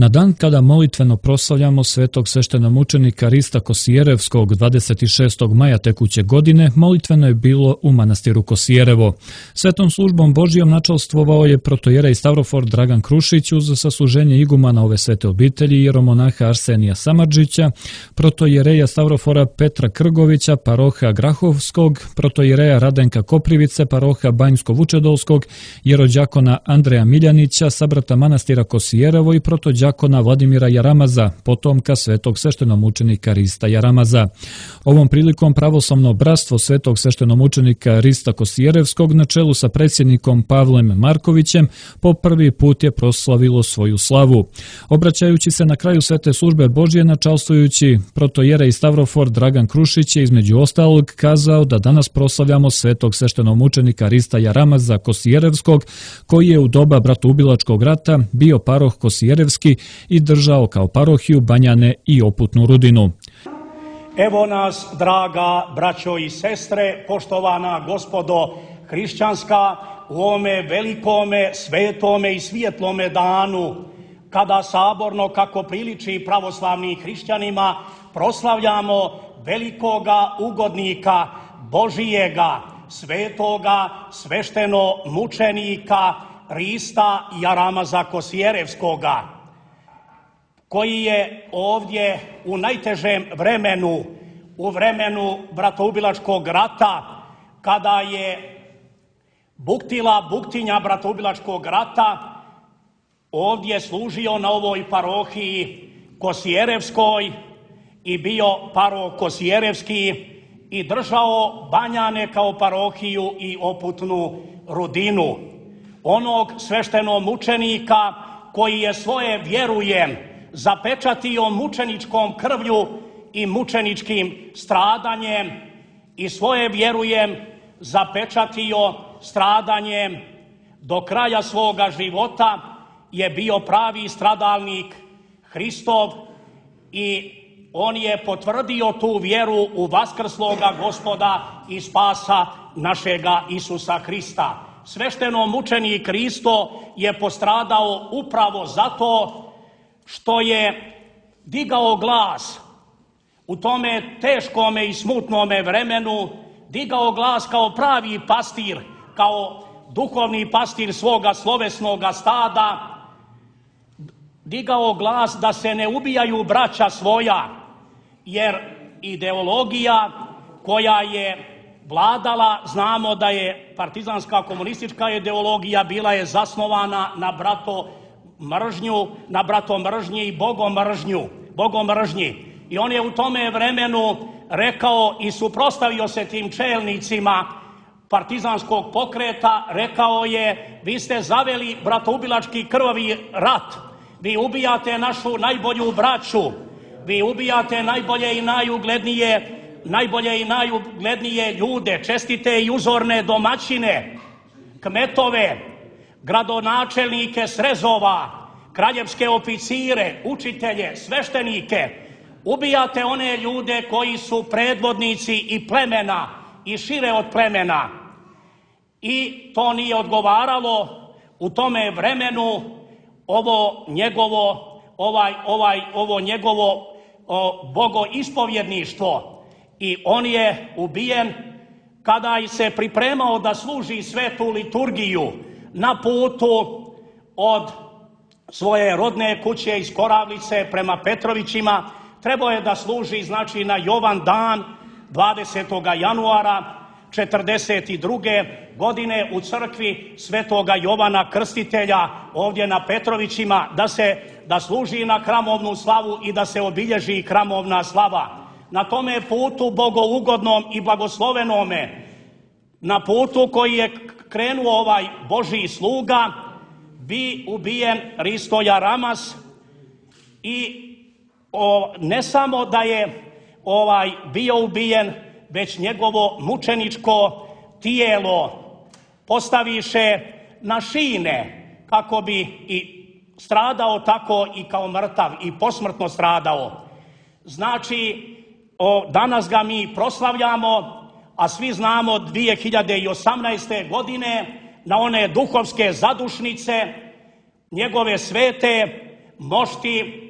Na dan kada molitveno proslavljamo svetog sveštenomučenika Rista Kosijerevskog 26. maja tekuće godine, molitveno je bilo u manastiru Kosijerevo. Svetom službom Božijom načalstvovao je protojerej Stavrofor Dragan Krušić uz sasluženje igumana ove svete obitelji, jeromonaha Arsenija Samardžića, protojereja Stavrofora Petra Krgovića, paroha Grahovskog, protojereja Radenka Koprivice, paroha Banjsko-Vučedolskog, jerođakona Andreja Miljanića, sabrata manastira Kosijerevo i protođakona Vladimira Jaramaza, potomka svetog sveštenomučenika Rista Jaramaza. Ovom prilikom pravoslavno bratstvo svetog sveštenomučenika Rista Kosijerevskog na čelu sa predsjednikom Pavlem Markovićem po prvi put je proslavilo svoju slavu. Obraćajući se na kraju svete službe Božje načalstvujući, protojerej Stavrofor Dragan Krušić je između ostalog kazao da danas proslavljamo svetog sveštenomučenika Rista Jaramaza Kosijerevskog, koji je u doba bratoubilačkog rata bio paroh Kosijerevski i držao kao parohiju Banjane i Oputnu Rudinu. Evo nas, draga braćo i sestre, poštovana gospodo hrišćanska, u ovome velikome, svetome i svjetlome danu, kada saborno, kako priliči pravoslavnim hrišćanima, proslavljamo velikoga ugodnika Božijega, svetoga sveštenomučenika Rista Jaramaza Kosijerevskoga, koji je ovdje u najtežem vremenu, u vremenu bratoubilačkog rata, kada je buktila buktinja bratoubilačkog rata, ovdje služio na ovoj parohiji Kosijerevskoj i bio paroh Kosijerevski i držao Banjane kao parohiju i Oputnu Rudinu. Onog sveštenomučenika koji je svoje vjerujem zapečatio mučeničkom krvlju i mučeničkim stradanjem i svoje vjerujem zapečatio stradanjem do kraja svoga života, je bio pravi stradalnik Hristov i on je potvrdio tu vjeru u vaskrsloga Gospoda i spasa našega Isusa Hrista. Sveštenomučenik Hristo je postradao upravo zato što je digao glas u tome teškome i smutnome vremenu, digao glas kao pravi pastir, kao duhovni pastir svoga slovesnoga stada, digao glas da se ne ubijaju braća svoja, jer ideologija koja je vladala, znamo da je partizanska komunistička ideologija bila je zasnovana na bratomržnji i bogomržnji. I on je u tome vremenu rekao i suprotstavio se tim čelnicima partizanskog pokreta, rekao je: vi ste zaveli bratoubilački krvavi rat, vi ubijate našu najbolju braću, vi ubijate najbolje i najuglednije ljude, čestite i uzorne domaćine, kmetove, gradonačelnike srezova, kraljevske oficire, učitelje, sveštenike. Ubijate one ljude koji su predvodnici i plemena i šire od plemena. I to nije odgovaralo u tome vremenu ovo njegovo bogoispovjedništvo. I on je ubijen kada se pripremao da služi svetu liturgiju na putu od svoje rodne kuće iz Koravlice prema Petrovićima. Trebao je da služi, znači, na Jovan dan 20. januara 1942. godine u crkvi svetoga Jovana Krstitelja ovdje na Petrovićima, da služi na hramovnu slavu i da se obilježi hramovna slava. Na tome putu bogougodnom i blagoslovenome, na putu koji je krenuo ovaj Božji sluga, bi ubijen Risto Jaramaz i ne samo da je bio ubijen, već njegovo mučeničko tijelo postaviše na šine kako bi i stradao tako i kao mrtav i posmrtno stradao. Znači, danas ga mi proslavljamo, a svi znamo 2018. godine na one duhovske zadušnice njegove svete mošti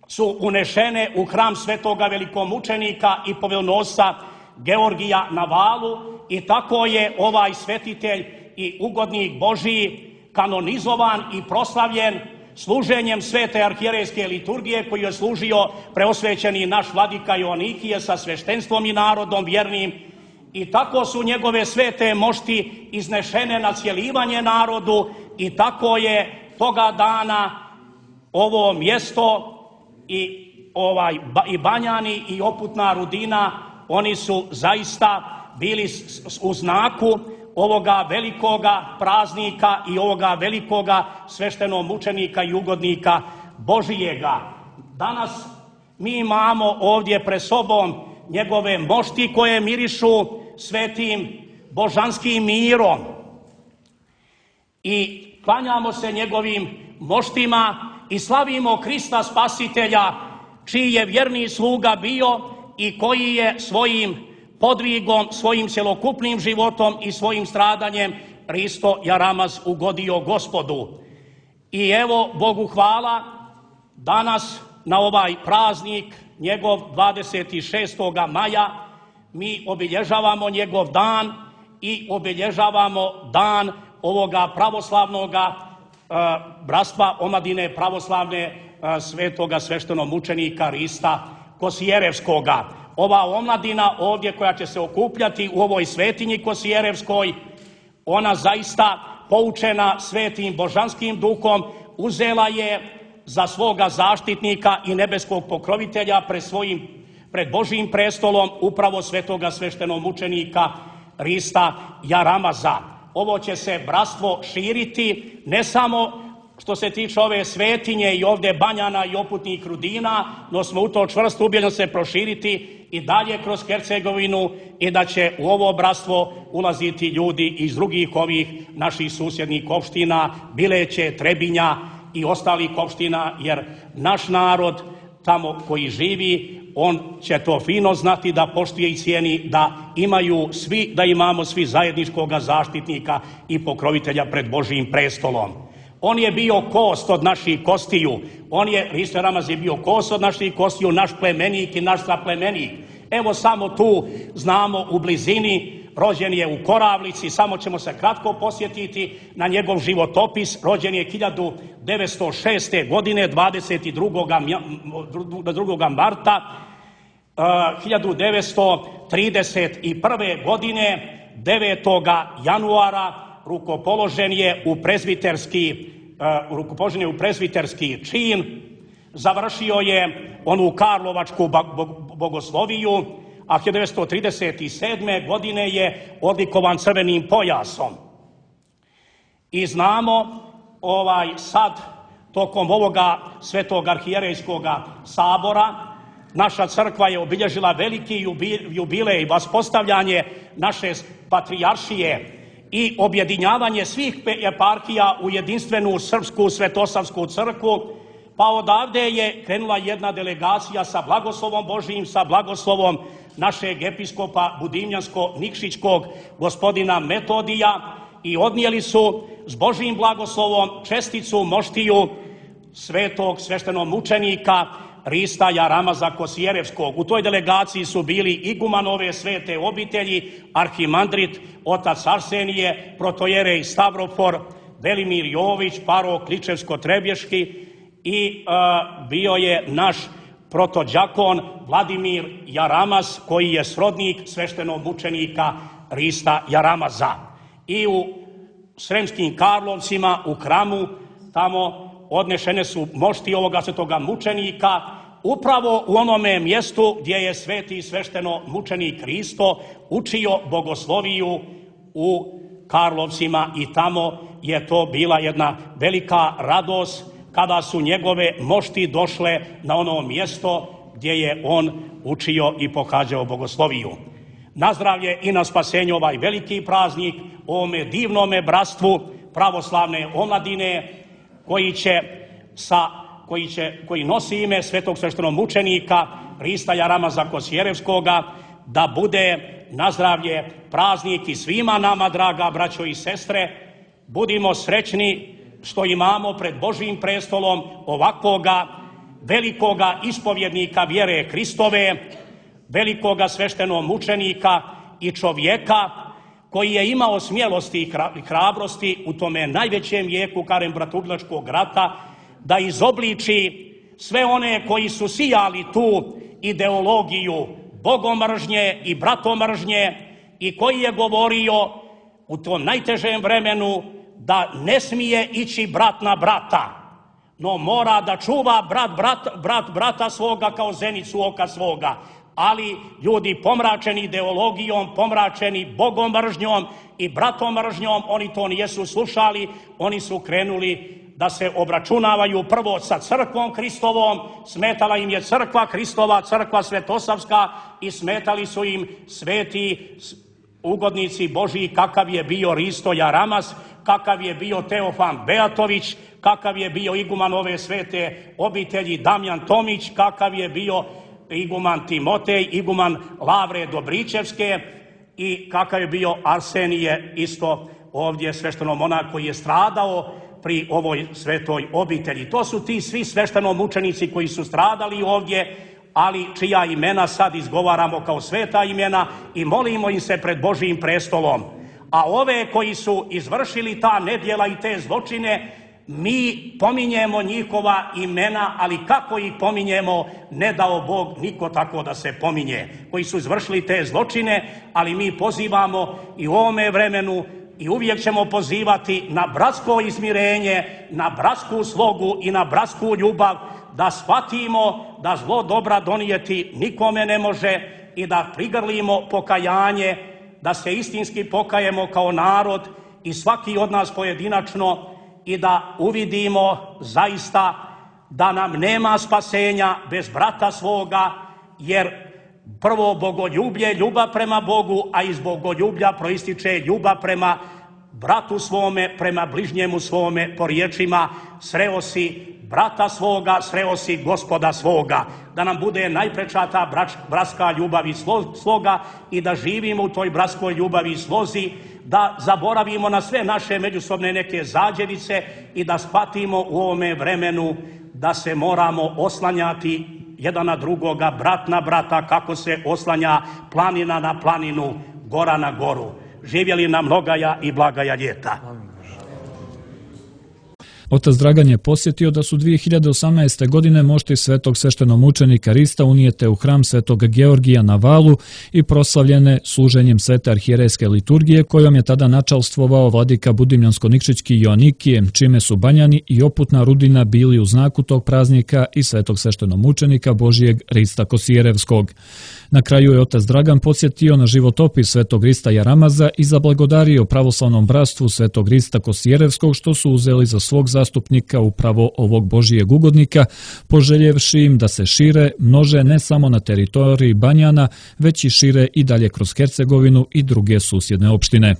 su unešene u hram svetoga velikomučenika i povelnosca Georgija na Valu i tako je ovaj svetitelj i ugodnik Božiji kanonizovan i proslavljen služenjem svete arhijerejske liturgije koju je služio preosvećeni naš vladika Joanikije sa sveštenstvom i narodom vjernim. I tako su njegove svete mošti iznešene na cjelivanje narodu i tako je toga dana ovo mjesto i Banjani i Oputna Rudina, oni su zaista bili u znaku ovoga velikoga praznika i ovoga velikoga sveštenomučenika i ugodnika Božijega. Danas mi imamo ovdje pred sobom njegove mošti koje mirišu svetim božanskim mirom i klanjamo se njegovim moštima i slavimo Krista Spasitelja, čiji je vjerni sluga bio i koji je svojim podvigom, svojim cjelokupnim životom i svojim stradanjem Hristo Jaramaz ugodio Gospodu. I evo, Bogu hvala, danas na ovaj praznik, njegov 26. maja, mi obilježavamo njegov dan i obilježavamo dan ovoga pravoslavnoga bratstva omladine pravoslavne svetoga sveštenomučenika Hrista Kosijerevskoga. Ova omladina ovdje koja će se okupljati u ovoj svetinji Kosijerevskoj, ona zaista poučena svetim božanskim duhom uzela je za svoga zaštitnika i nebeskog pokrovitelja pred Božijim prestolom upravo svetoga sveštenomučenika Hrista Jaramaza. Ovo će se bratstvo širiti ne samo što se tiče ove svetinje i ovdje Banjana i Oputnih Rudina, no smo u to čvrsto ubjeđeni se proširiti i dalje kroz Hercegovinu i da će u ovo bratstvo ulaziti ljudi iz drugih ovih naših susjednih opština, Bileće, Trebinja i ostalih opština, jer naš narod tamo koji živi, on će to fino znati da poštuje i cijeni da imamo svi zajedničkoga zaštitnika i pokrovitelja pred Božijim prestolom. On je bio kost od naših kostiju. Hristo Jaramaz je bio kost od naših kostiju, naš plemenik i naš saplemenik. Evo samo tu znamo u blizini, rođen je u Koravlici, samo ćemo se kratko posjetiti na njegov životopis. Rođen je 1906. godine, 22. marta, 1931. godine, 9. januara, rukopoložen je u prezbiterski čin, završio je onu Karlovačku bogosloviju, a 1937. godine je odlikovan crvenim pojasom. I znamo sad, tokom ovoga Svetog arhijerejskoga sabora, naša crkva je obilježila veliki jubilej, vaspostavljanje naše patrijaršije i objedinjavanje svih eparhija u jedinstvenu srpsku svetosavsku crkvu, pa odavde je krenula jedna delegacija sa blagoslovom Božijim, sa blagoslovom našeg episkopa Budimljansko-Nikšićkog gospodina Metodija i odnijeli su s Božijim blagoslovom česticu moštiju svetog sveštenomučenika Hrista Jaramaza Kosijerevskog. U toj delegaciji su bili iguman ove svete obitelji, arhimandrit, otac Arsenije, protojerej Stavrofor, Velimir Jović, parok Kličevsko-Trebješki i bio je naš protođakon Vladimir Jaramaz, koji je srodnik sveštenomučenika Hrista Jaramaza. I u Sremskim Karlovcima, u hramu, tamo odnešene su mošti ovoga svetoga mučenika, upravo u onome mjestu gdje je sveti sveštenomučenik Hristo učio bogosloviju u Karlovcima i tamo je to bila jedna velika radost kada su njegove mošti došle na ono mjesto gdje je on učio i pohađao bogosloviju. Na zdravlje i na spasenje ovaj veliki praznik, ovome divnome bratstvu pravoslavne omladine koji nosi ime svetog sveštenomučenika Hrista Jaramaza Kosijerevskoga, da bude na zdravlje praznik i svima nama, draga braćo i sestre. Budimo srećni što imamo pred Božjim prestolom ovakvoga velikoga ispovjednika vjere Hristove, velikoga sveštenomučenika i čovjeka koji je imao smjelosti i hrabrosti u tome najvećem vijeku Karen-bratoubilačkog rata da izobliči sve one koji su sijali tu ideologiju bogomržnje i bratomržnje i koji je govorio u tom najtežem vremenu da ne smije ići brat na brata, no mora da čuva brat brata svoga kao zenicu oka svoga. Ali ljudi pomračeni ideologijom, pomračeni bogomržnjom i bratomržnjom, oni to nijesu slušali, oni su krenuli da se obračunavaju prvo sa crkvom Hristovom, smetala im je crkva Hristova, crkva Svetosavska i smetali su im sveti ugodnici Božji kakav je bio Risto Jaramas, kakav je bio Teofan Beatović, kakav je bio iguman ove svete obitelji Damjan Tomić, kakav je bio iguman Timotej, iguman Lavre Dobričevske i kakav je bio Arsenije, isto ovdje sveštenomonah koji je stradao pri ovoj svetoj obitelji. To su ti svi sveštenomučenici koji su stradali ovdje, ali čija imena sad izgovaramo kao sveta imena i molimo im se pred Božjim prestolom. A ove koji su izvršili ta nedjela i te zločine, mi pominjemo njihova imena, ali kako ih pominjemo, ne dao Bog niko tako da se pominje, koji su izvršili te zločine, ali mi pozivamo i u ovome vremenu i uvijek ćemo pozivati na bratsko izmirenje, na bratsku slogu i na bratsku ljubav, da shvatimo da zlo dobra donijeti nikome ne može i da prigrlimo pokajanje, da se istinski pokajemo kao narod i svaki od nas pojedinačno i da uvidimo zaista da nam nema spasenja bez brata svoga, jer prvo bogoljublje, ljubav prema Bogu, a iz bogoljublja proističe ljubav prema bratu svome, prema bližnjemu svome, po riječima sreo si brata svoga, sreo si Gospoda svoga. Da nam bude najpreča ta bratska ljubav i sloga i da živimo u toj bratskoj ljubavi i slozi, da zaboravimo na sve naše međusobne neke zađevice i da shvatimo u ovome vremenu da se moramo oslanjati jedan na drugoga, brat na brata, kako se oslanja planina na planinu, gora na goru. Živjeli nam mnogaja i blagaja ljeta. Otac Dragan je posjetio da su 2018. godine mošti svetog sveštenomučenika Rista unijete u hram svetog Georgija na Valu i proslavljene služenjem svete arhijerejske liturgije kojom je tada načalstvovao vladika Budimljansko-Nikšićki Joanikije, čime su Banjani i Oputna Rudina bili u znaku tog praznika i svetog sveštenomučenika Božijeg Rista Kosijerevskog. Na kraju je otac Dragan podsjetio na životopis svetog Rista Jaramaza i zablagodario pravoslavnom bratstvu svetog Rista Kosijerevskog što su uzeli za svog zastupnika upravo ovog Božijeg ugodnika, poželjevši im da se šire, množe ne samo na teritoriji Banjana, već i šire i dalje kroz Hercegovinu i druge susjedne opštine.